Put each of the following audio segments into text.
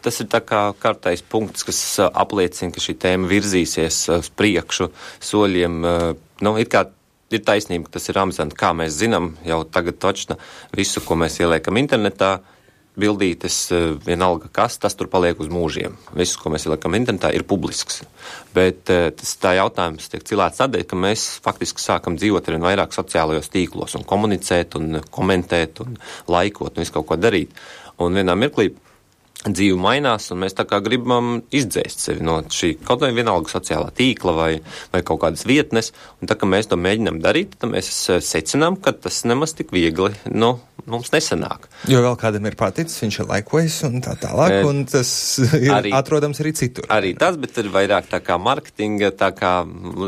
tas ir tā kā kārtais punkts, kas apliecina, ka šī tēma virzīsies uz priekšu soļiem. Ir taisnība, ka tas ir amizanti, kā mēs zinām, jau tagad točna visu, ko mēs ieliekam internetā, bildītes, vienalga kas, tas tur paliek uz mūžiem. Viss, ko mēs ieliekam internetā, ir publisks. Bet tā jautājums tiek cilāts tādēļ, ka mēs faktiski sākam dzīvot arvien vairāk sociālajos tīklos un komunicēt un komentēt un laikot un visu kaut ko darīt. Un vienā mirklī dzīve mainās, un mēs tā kā gribam izdzēst sevi no šī kaut vai vienalga sociālā tīkla vai kaut kādas vietnes, un tā kā mēs to mēģinām darīt, tad mēs secinām, ka tas nemaz tik viegli, mums nesanāk. Jo vēl kādam ir paticis, viņš ir laikojis un tā tālāk, un tas ir atrodams arī citur. Arī tas, bet ir vairāk tā kā marketinga, tā kā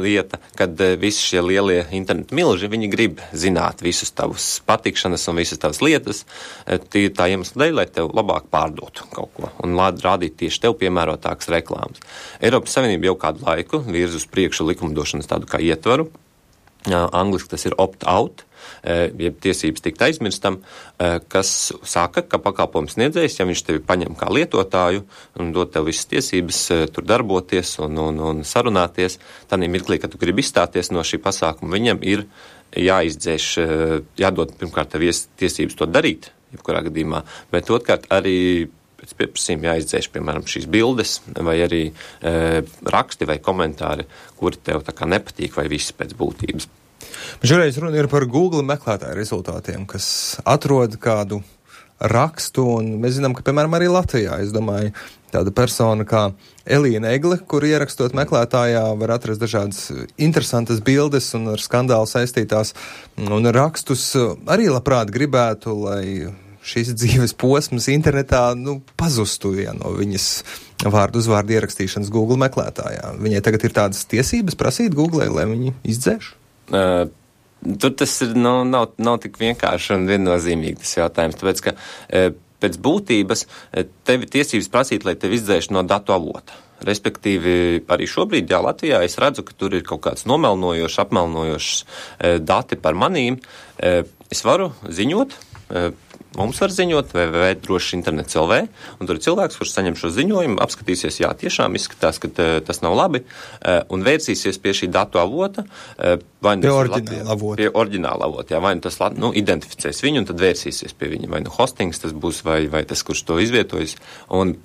lieta, kad visi šie lielie internetu milži, viņi grib zināt visus tavus patikšanas un visas tavas lietas, tā iemesla dēļ, lai tev labāk pārdotu kaut ko un rādīt tieši tev piemērotākas reklāmas. Eiropas Savienība jau kādu laiku virz uz priekšu likumdošanas tādu kā ietvaru. Angliski tas ir opt-out, jeb tiesības tikt aizmirstam, kas saka, ka pakalpojums sniedzējs, ja viņš tevi paņem kā lietotāju un dod tev visas tiesības tur darboties un sarunāties, tad mirklī, kad tu gribi izstāties no šī pasākuma, viņam ir jāizdzēš, jādod pirmkārt tev tiesības to darīt, jebkurā gadījumā, bet otrkārt arī pēc pieprasījuma jāizdzēš, piemēram, šīs bildes vai arī raksti vai komentāri, kuri tev tā kā nepatīk vai visi pēc būtības. Šoreiz runa ir par Google meklētāju rezultātiem, kas atrod kādu rakstu, un mēs zinām, ka, piemēram, arī Latvijā, es domāju, tāda persona kā Elīna Egle, kur ierakstot meklētājā var atrast dažādas interesantas bildes un ar skandālu saistītās un rakstus arī labprāt gribētu, lai šīs dzīves posms internetā pazustu no viņas vārdu uzvārdu ierakstīšanas Google meklētājā. Viņai tagad ir tādas tiesības prasīt Google, lai viņi izdzēš? Tur tas ir, nav tik vienkārši un viennozīmīgi tas jautājums, tāpēc, ka pēc būtības tev ir tiesības prasīt, lai tev izdzēš no datu avota. Respektīvi, arī šobrīd, Latvijā es redzu, ka tur ir kaut kāds nomelnojošs, apmelnojošs dati par manīm. Es varu ziņot, mums var ziņot droši internets LV, un tur ir cilvēks, kurš saņem šo ziņojumu, apskatīsies, jā, tiešām izskatās, ka tas nav labi, un vērsīsies pie šī datu avota, vai pie oriģināla avota, jā, vai tas identificēs viņu, un tad vērsīsies pie viņa, vai hostings tas būs, vai tas, kurš to izvietojas, un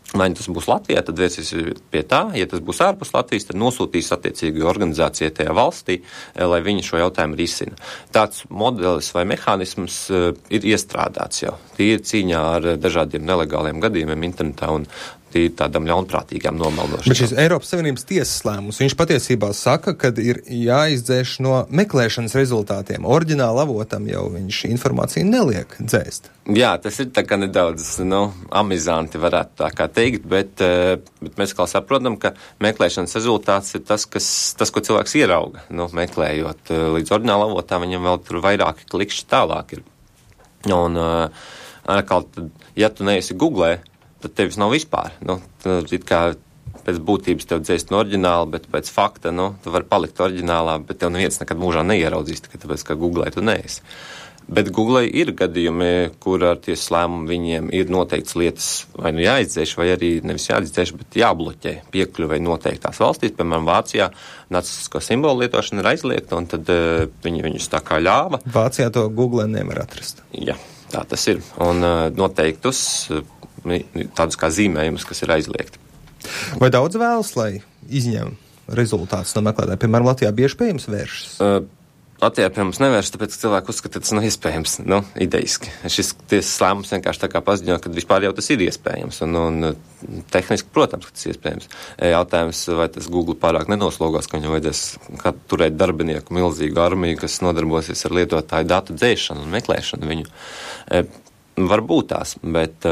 vai tas būs Latvijā, tad vērsies pie tā, ja tas būs ārpus Latvijas, tad nosūtīs attiecīgi organizācijai tajā valstī, lai viņi šo jautājumu risina. Tāds modelis vai mehānisms ir iestrādāts jau. Tie ir cīņā ar dažādiem nelegāliem gadījumiem internetā un tādam ļaunprātīgām nomelnošanām. Bet šis Eiropas Savienības tiesas lēmums, viņš patiesībā saka, ka ir jāizdzēš no meklēšanas rezultātiem. Oriģināla avotam jau viņš informāciju neliek dzēst. Jā, tas ir tā kā nedaudz, amizanti varētu tā kā teikt, bet mēs kā saprotam, ka meklēšanas rezultāts ir tas, ko cilvēks ierauga, meklējot līdz oriģināla avotā, viņam vēl tur vairāki klikšķi tālāk ir. Un, ja tu neesi Googlē, tad tevis nav vispār. It kā pēc būtības tev dzēst no oriģināla, bet pēc fakta, tu vari palikt oriģinālā, bet tev neviens nekad mūžā neieraudzīs, tikai tāpēc, ka Googlē tu neesi. Bet Googlē ir gadījumi, kur ar tiesas lēmumu viņiem ir noteikts lietas vai jāizdzēš, vai arī nevis jāizdzēš, bet jābloķē piekļuvai noteiktās valstīs. Piemēram, Vācijā nacistisko simbolu lietošana ir aizliegta, un tad viņi viņus tā kā ļāva. Vācijā to Googlē nevar atrast. Jā, tā tas ir. Un noteiktus tādus kā zīmējumus, kas ir aizliegti. Vai daudz vēlas, lai izņem rezultātus no meklētāja? Piemēram, Latvijā bieži pie jums vēršas? Latvijā pie mums nevērš, tāpēc, ka cilvēki uzskata, ka tas nav iespējams, ideiski. Šis tiesas lēmums vienkārši tā kā paziņo, ka vispār jau tas ir iespējams, un tehniski, protams, ka tas ir iespējams. Jautājums, vai tas Google pārāk nenoslogās, ka viņam vajadzēs turēt darbinieku milzīgu armiju, kas nodarbosies ar lietotāju datu dzēšanu un meklēšanu viņu. Varbūt tās, bet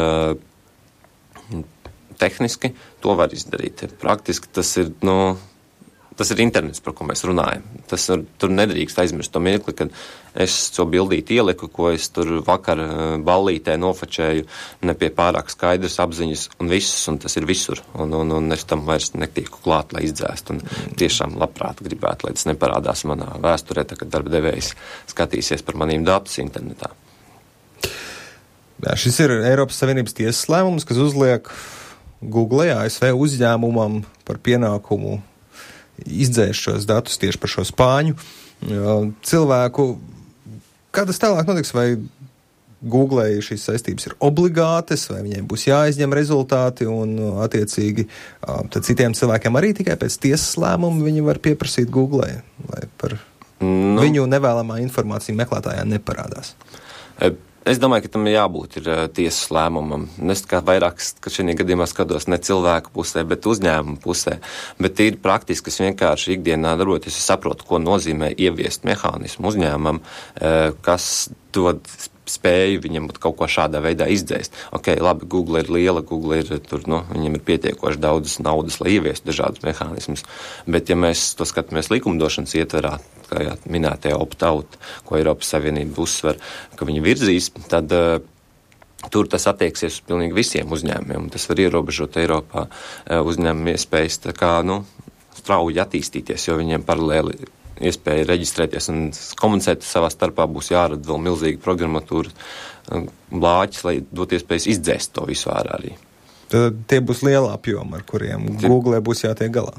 tehniski to var izdarīt. Praktiski tas ir internets, par ko mēs runājam. Tur nedrīkst aizmirst to mirkli, kad es to bildīti ieliku, ko es tur vakar ballītē nofačēju, ne pie pārāk skaidras apziņas un visus, un tas ir visur. Un es tam vairs netieku klāt, lai izdzēstu. Un tiešām labprāt gribētu, lai tas neparādās manā vēsturē, tā, kad darba devējs skatīsies par manīm datus internetā. Jā, šis ir Eiropas Savienības tiesas lēmums, kas uzliek Google, ASV uzņēmumam par pienākumu izdzēst šos datus tieši par šo spāņu cilvēku. Kā tas tālāk notiks? Vai Google šīs saistības ir obligātas, vai viņiem būs jāizņem rezultāti un attiecīgi tad citiem cilvēkiem arī tikai pēc tiesas lēmumu viņi var pieprasīt Google, lai par viņu nevēlamā informācija meklētājā neparādās? Es domāju, ka tam jābūt ir tiesas lēmumam. Es kā vairāk, ka šajā gadījumā skatos ne cilvēku pusē, bet uzņēmumu pusē. Bet ir praktiski, kas vienkārši ikdienā darboties, es saprotu, ko nozīmē ieviest mehānismu uzņēmumam, kas dod spēju viņam kaut ko šādā veidā izdzēst. Ok, labi, Google ir liela, Google ir tur, viņam ir pietiekoši daudz naudas, lai ieviestu dažādus mehānismus. Bet ja mēs to skatāmies likumdošanas ietverā, kā minētajā opt-out, ko Eiropas Savienība uzsver, ka viņi virzīs, tad tur tas attieksies uz pilnīgi visiem uzņēmumiem. Tas var ierobežot Eiropā uzņēmumu iespējas tā kā, strauji attīstīties, jo viņiem paralēli iespēja reģistrēties un komunicēt savā starpā, būs jārada vēl milzīgi programmatūra blāķis, lai dot iespējas izdzēst to visu ārā arī. Tad tie būs liela apjoma, ar kuriem Google būs jātiek galā.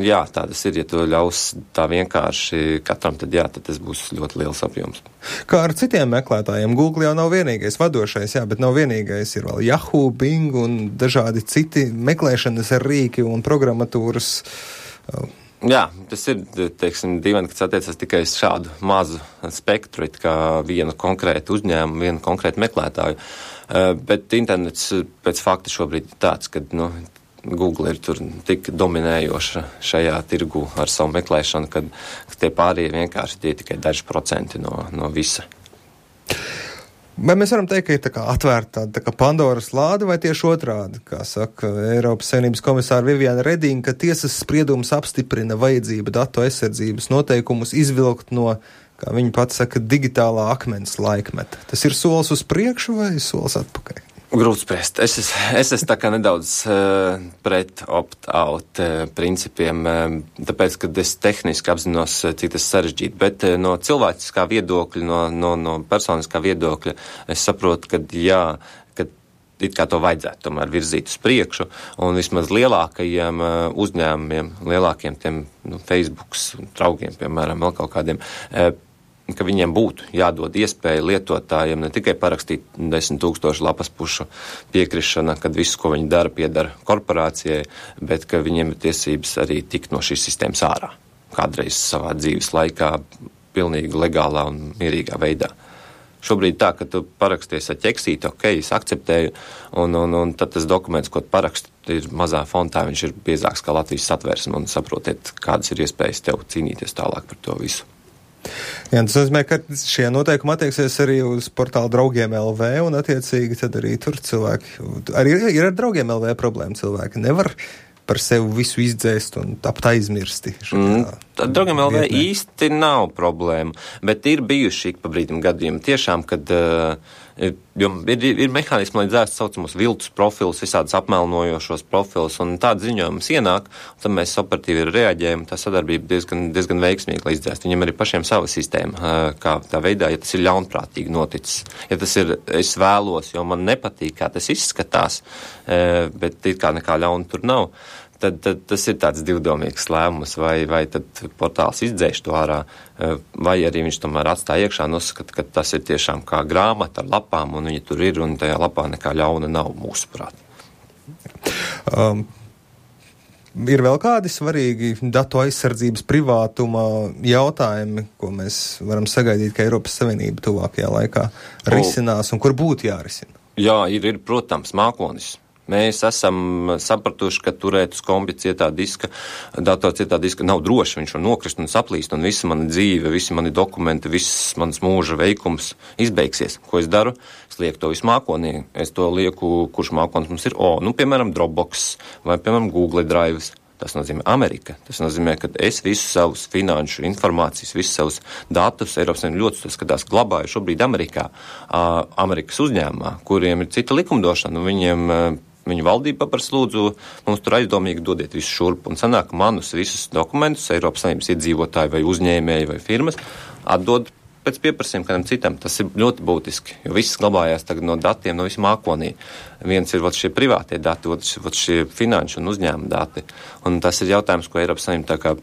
Jā, tā tas ir. Ja to ļaus tā vienkārši katram, tad tas būs ļoti liels apjoms. Kā ar citiem meklētājiem, Google jau nav vienīgais vadošais, bet nav vienīgais. Ir vēl Yahoo, Bing un dažādi citi meklēšanas rīki un programmatūras. Jā, tas ir, dīvaini, kas attiecas tikai uz šādu mazu spektru, kā vienu konkrētu uzņēmumu, vienu konkrētu meklētāju. Bet internets pēc fakta šobrīd ir tāds, ka, Google ir tur tik dominējoša šajā tirgu ar savu meklēšanu, ka tie pārējie vienkārši tie tikai daži procenti no visa. Vai mēs varam teikt, ka ir tā kā atvērta tā kā Pandoras lāde, vai tieši otrādi, kā saka Eiropas Savienības komisāra Viviane Redinga, ka tiesas spriedums apstiprina vajadzību datu aizsardzības noteikumus izvilkt no, kā viņa pats saka, digitālā akmens laikmeta. Tas ir solis uz priekšu vai solis atpakaļ? Grūti spriest. Es esmu tā kā nedaudz pret opt-out principiem, tāpēc, ka es tehniski apzinos, cik tas sarežģīti, bet no cilvēciskā viedokļa, no personiskā viedokļa, es saprotu, ka it kā to vajadzētu tomēr virzīt uz priekšu, un vismaz lielākajiem uzņēmumiem, lielākiem tiem Facebooks draugiem, piemēram, vēl kaut kādiem, ka viņiem būtu jādod iespēja lietotājiem ne tikai parakstīt 10 000 lapas pušu piekrišana, kad viss, ko viņi dara, piedara korporācijai, bet ka viņiem ir tiesības arī tikt no šīs sistēmas ārā. Kādreiz savā dzīves laikā pilnīgi legālā un mierīgā veidā. Šobrīd tā, ka tu paraksties ar ķeksīti, ok, es akceptēju, un tad tas dokuments, ko tu paraksti, ir mazā fontā, viņš ir biezāks kā Latvijas satversme, un saprotiet, kādas ir iespējas tev cīnīties tālāk par to visu. Jā, tas nozīmē, ka šie noteikumi attieksies arī uz portālu Draugiem LV, un attiecīgi tad arī tur cilvēki, arī ir ar Draugiem LV problēma cilvēki, nevar par sevi visu izdzēst un tapt aizmirsti. Draugiem LV īsti nav problēma, bet ir bijuši ik pa brīdim gadījumi tiešām, kad ir mehānismi, lai dzēst saucamos viltus profilus, visādus apmelnojošos profilus, un tāda ziņojums ienāk, un tad mēs operatīvi reaģējam, tā sadarbība diezgan veiksmīgi, lai izdzēst. Viņam arī pašiem sava sistēma, kā tā veidā, ja tas ir ļaunprātīgi noticis. Ja tas ir, es vēlos, jo man nepatīk, kā tas izskatās, bet it kā nekā ļauna tur nav, tad tas ir tāds divdomīgs lēmums, vai tad portāls izdzēš to ārā, vai arī viņš tomēr atstāja iekšā un uzskata, ka tas ir tiešām kā grāmata ar lapām, un viņi tur ir, un tajā lapā nekā ļauna nav mūsuprāt. Ir vēl kādi svarīgi datu aizsardzības privātuma jautājumi, ko mēs varam sagaidīt, ka Eiropas Savienība tuvākajā laikā risinās, un kur būtu jārisina? Jā, ir protams, mākonis. Mēs esam sapratuši, ka turēt uz kompja cietā diska, datora cietā diska nav droši, viņš var nokrist un saplīst, un visa mana dzīve, visi mani dokumenti, viss mans mūža veikums izbeigsies. Ko es daru? Es lieku to visu mākonī. Es to lieku, kurš mākonis mums ir? Piemēram, Dropbox vai, piemēram, Google Drive. Tas nozīmē Amerika. Tas nozīmē, ka es visus savus finanšu informācijas, visus savus datus, Eiropas Savienība ļoti skatās, glabāju šobrīd Amerikā, Amerikas uzņēmumā, kuriem ir cita likumdošana, un viņu valdība paprasa lūdzu, mums tur aizdomīgi dodiet visu šurp, un sanāk manus visus dokumentus Eiropas Savienības iedzīvotāji vai uzņēmēji vai firmas atdod pēc pieprasījuma kādam citam. Tas ir ļoti būtiski, jo viss glabājās tagad no datiem, no visu mākonī. Viens ir šie privātie dati, otrs ir šie finanšu un uzņēmuma dati. Un tas ir jautājums, ko Eiropas Savienība tā kā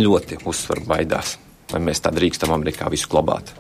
ļoti uzsver baidās. Vai mēs tā drīkstam Amerikā visu glabāt?